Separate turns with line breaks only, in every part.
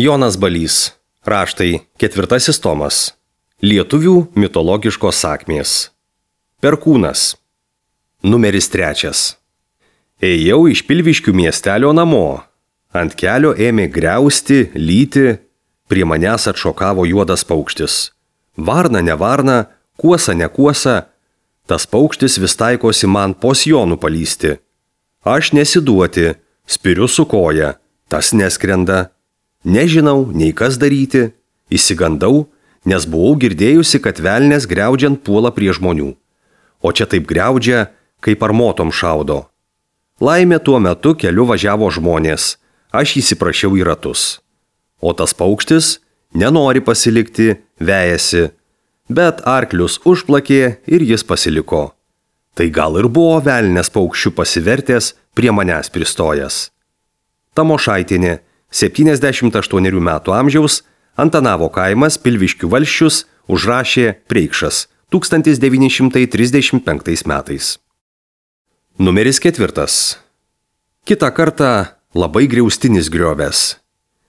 Jonas Balys. Raštai 4 tomas. Lietuvių mitologiškos sakmės. Perkūnas. Numeris 3. Ėjau iš Pilviškių miestelio namo. Ant kelio ėmė griausti, lyti, prie manęs atšokavo juodas paukštis. Varna ne varna, kuosa ne kuosa, tas paukštis vis taikosi man po sijonu palysti. Aš nesiduoti, spiriu su koja, tas neskrenda. Nežinau, nei kas daryti, įsigandau, nes buvau girdėjusi, kad velnias griaudžiant puola prie žmonių. O čia taip griaudžia, kaip armotom šaudo. Laimė tuo metu keliu važiavo žmonės, aš įsiprašiau į ratus. O tas paukštis nenori pasilikti, vejasi, bet arklius užplakė ir jis pasiliko. Tai gal ir buvo velnias paukščių pasivertęs, prie manęs pristojęs. Tamošaitienė, 78 metų amžiaus, Antanavo kaimas, Pilviškių valsčius, užrašė Preikšas 1935 metais. Numeris 4. Kitą kartą labai griaustinis griovės.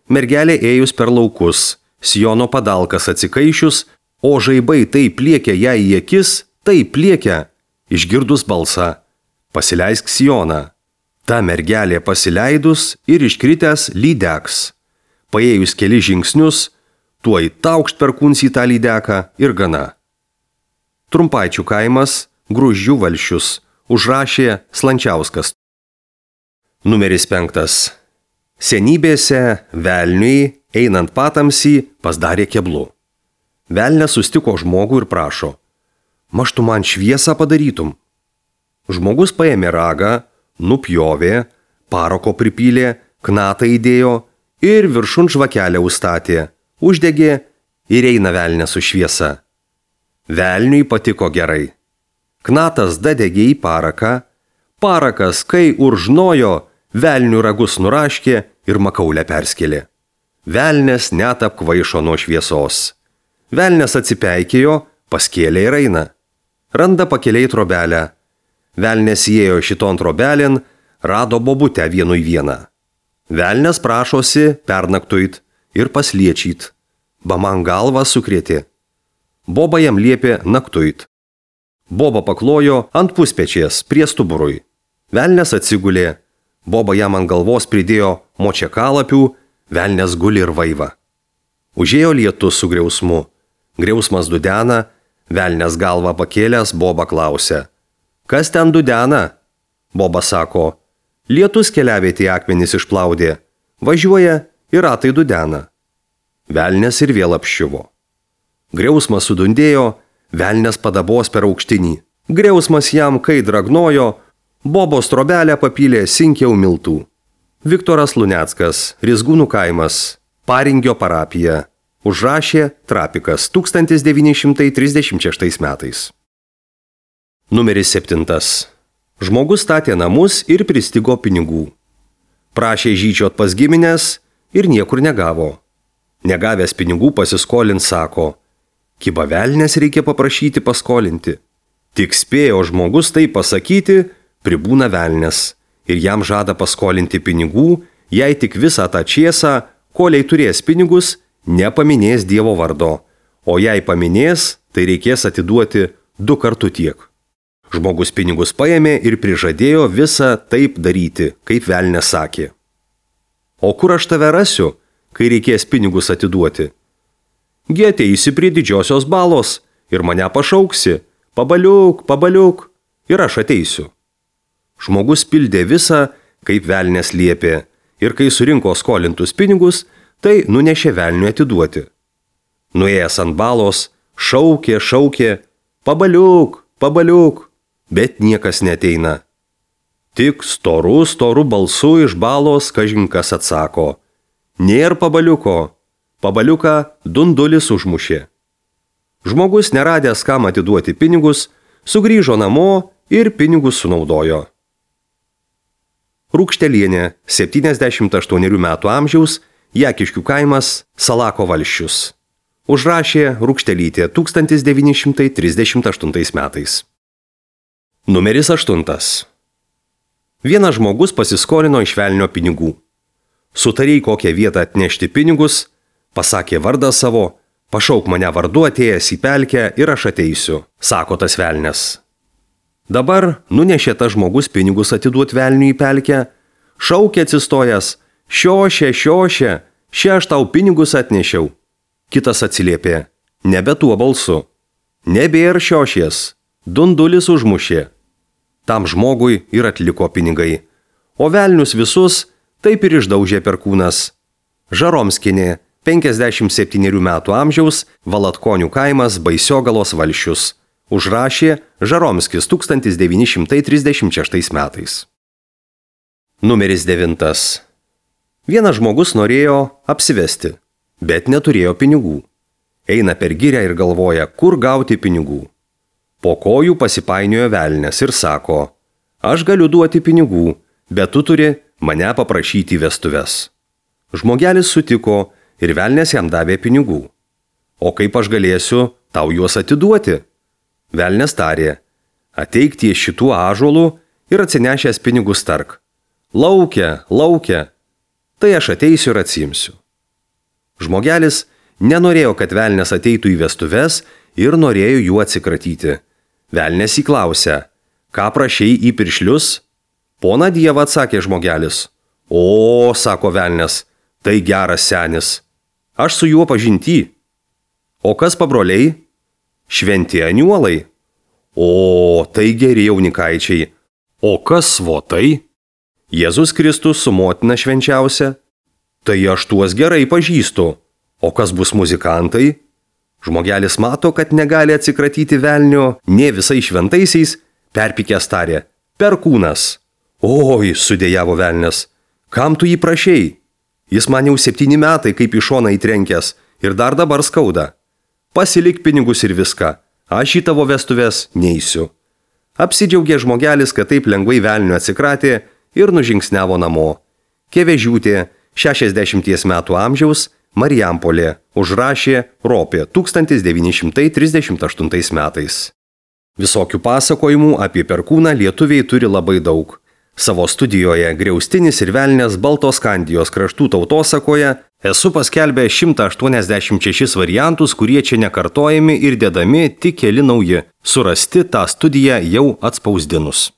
Mergelė ėjus per laukus, sijono padalkas atsikaišius, o žaibai taip pliekia ją į akis, taip pliekia, išgirdus balsą: pasileisk sijoną. Ta mergelė pasileidus ir iškritęs lydeks. Paėjus keli žingsnius, tuoj taukšt perkūns į tą lydeką ir gana. Trumpaičių kaimas, Gruzdžių valsčius, užrašė Slančiauskas. Numeris 5. Senybėse velniui, einant patamsį, pasidarė keblu. Velnias sustiko žmogų ir prašo: maž tu man šviesą padarytum. Žmogus paėmė ragą, nupjovė, parako pripylė, knatą įdėjo ir viršun žvakelę užstatė, uždegė ir eina velnias su šviesa. Velniui patiko gerai. Knatas dadegė į paraką, parakas, kai užnojo, velnių ragus nuraškė ir makaulę perskėlė. Velnias net apkvaišo nuo šviesos. Velnias atsipeikėjo, paskėlė ir eina. Randa pakeliai trobelę. Velnias įėjo šiton trobelin, rado bobutę vienu į vieną. Velnias prašosi pernaktuit ir pasliečiit. Baman galvą sukrėtė. Boba jam liepė naktuit. Boba paklojo ant puspečiės prie stuburui. Velnias atsigulė. Boba jam ant galvos pridėjo močiakalapių, velnias guli ir vaiva. Užėjo lietus su griausmu. Griausmas dudena, velnias galvą pakėlęs, Boba klausia: kas ten dudena? Boba sako: lietus keliavietė akmenys išplaudė, važiuoja ir ratai dudena. Velnias ir vėl apščiuvo. Griausmas sudundėjo, velnias padabos per aukštinį. Griausmas jam kai dragnojo, Bobos trobelę papylė sinkiau miltų. Viktoras Luneckas, Rizgūnų kaimas, Paringio parapija. Užrašė Trapikas 1936 metais. Numeris 7. Žmogus statė namus ir pristigo pinigų. Prašė žyčiot pas giminės ir niekur negavo. Negavęs pinigų pasiskolint sako: kiba velnias reikia paprašyti paskolinti. Tik spėjo žmogus tai pasakyti, pribūna velnias ir jam žada paskolinti pinigų, jei tik visą tą čiesą, koliai turės pinigus, nepaminės Dievo vardo, o jei paminės, tai reikės atiduoti 2 kartų tiek. Žmogus pinigus paėmė ir prižadėjo visą taip daryti, kaip velnias sakė. O kur aš tave rasiu, kai reikės pinigus atiduoti? Gi ateisi prie didžiosios balos ir mane pašauksi: pabaliuk, pabaliuk, ir aš ateisiu. Žmogus pildė visą, kaip velnias liepė, ir kai surinko skolintus pinigus, tai nunešė velniui atiduoti. Nuėjęs ant balos, šaukė, pabaliuk, pabaliuk, bet niekas neteina. Tik storu balsu iš balos kažinkas atsako: nėr pabaliuko, pabaliuką dundulis užmušė. Žmogus neradęs kam atiduoti pinigus, sugrįžo namo ir pinigus sunaudojo. Rūkštelienė, 78 metų amžiaus, Jakiškių kaimas, Salako valsčius. Užrašė Rūkštelytė 1938 metais. Numeris 8. Vienas žmogus pasiskolino iš velnio pinigų. Sutarėjai kokią vietą atnešti pinigus, pasakė vardą savo, pašauk mane vardu atėjęs į pelkę ir aš ateisiu, sako tas velnias. Dabar nunešė tas žmogus pinigus atiduot velniui į pelkę, šaukė atsistojęs, šiošė, šia aš tau pinigus atnešiau. Kitas atsiliepė, nebe tuo balsu, nebėr šiošies, dundulis užmušė. Tam žmogui ir atliko pinigai, o velnius visus taip ir išdaužė perkūnas. Žaromskienė, 57 metų amžiaus, Valatkonių kaimas, Baisiogalos valsčius. Užrašė Žaromskis 1936 metais. Numeris 9. Vienas žmogus norėjo apsivesti, bet neturėjo pinigų. Eina per girią ir galvoja, kur gauti pinigų. Po kojų pasipainiojo velnias ir sako, aš galiu duoti pinigų, bet tu turi mane paprašyti į vestuves. Žmogelis sutiko ir velnias jam davė pinigų. O kaip aš galėsiu tau juos atiduoti? Velnias tarė, ateik ties šituo ąžuolu ir atsinešęs pinigus tark. Laukia, tai aš ateisiu ir atsiimsiu. Žmogelis nenorėjo, kad velnias ateitų į vestuves ir norėjo jų atsikratyti. Velnias įklausė, ką prašei į piršlius? Poną Dievą, atsakė žmogelis. O, sako velnias, tai geras senis. Aš su juo pažinty. O kas pabroliai? Šventi aniuolai. O, tai geri jaunikaičiai. O kas svotai? Jėzus Kristus su motina švenčiausia. Tai aš tuos gerai pažįstu. O kas bus muzikantai? Žmogelis mato, kad negali atsikratyti velnio nė visai šventaisiais, perpykęs tarė, perkūnas. Oi, sudėjavo velnias, kam tu jį prašei? Jis man jau 7 metai kaip į šoną įtrenkęs ir dar dabar skauda. Pasilik pinigus ir viską, aš į tavo vestuves neisiu. Apsidžiaugė žmogelis, kad taip lengvai velnio atsikratė ir nužingsniavo namo. Kevežiūtė, 60 metų amžiaus, Marijampolė, užrašė Ropė 1938 metais. Visokių pasakojimų apie perkūną lietuviai turi labai daug. Savo studijoje Griaustinis ir velnias Baltoskandijos kraštų tautosakoje esu paskelbęs 186 variantus, kurie čia nekartojami ir dedami tik keli nauji, surasti tą studiją jau atspausdinus.